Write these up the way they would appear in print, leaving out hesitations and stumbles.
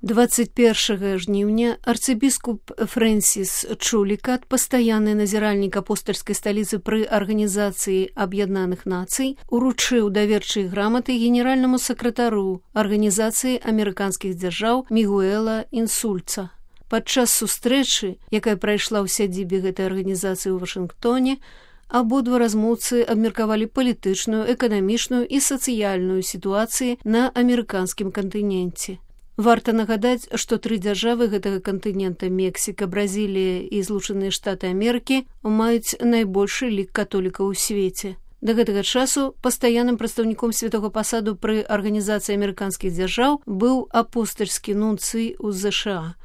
21 жніўня арцыбіскуп Фрэнсіс Чулікат, пастаянны назіральнік апостальскай сталіцы пры Арганізацыі Аб'яднаных Нацый, уручыў даверчыя граматы генеральнаму сакратару Арганізацыі амерыканскіх дзяржаў Мігуэла Інсульца. Падчас сустрэчы, якая прайшла ў сядзібе гэтай арганізацыі ў Вашынгтоне, абодва размоўцы абмеркавалі палітычную, эканамічную і сацыяльную сітуацыі на амерыканскім кантыненце. Варта нагадаць, што 3 дзяржавы гэтага кантынента – Мексіка, Бразілія і Злучаныя Штаты Амерыкі – маюць найбольшы лік католікаў у свеце. Да гэтага часу пастаянным прадстаўніком святога пасаду пры Арганізацыі амерыканскіх дзяржаў быў апостальскі нунцый у ЗША.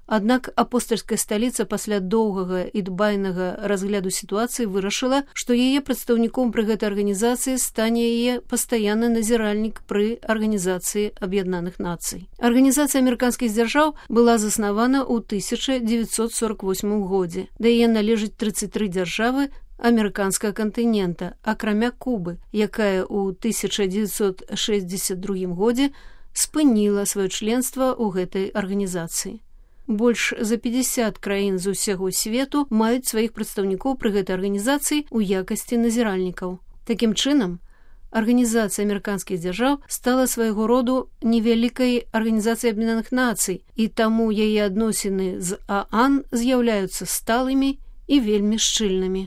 Аднак апостальская сталіца пасля доўгага і дбайнага разгляду сітуацыі вырашыла, што яе прадстаўніком пры гэтай арганізацыі стане яе пастаянны назіральнік пры Арганізацыі Аб'яднаных Нацый. Арганізацыя амерыканскіх дзяржаў была заснавана ў 1948 годзе. Да яе належыць 33 дзяржавы амерыканскага кантынента, акрамя Кубы, якая ў 1962 годзе спыніла сваё членства ў гэтай арганізацыі. Больш за 50 краін з усяго свету маюць сваіх прадстаўнікоў пры гэтай арганізацыі ў якасці назіральнікаў. Такім чынам, Арганізацыя амерыканскіх дзяржаў стала свайго роду невялікай арганізацыяй Аб'яднаных Нацый, і таму яе адносіны з ААН з'яўляюцца сталымі і вельмі шчыльнымі.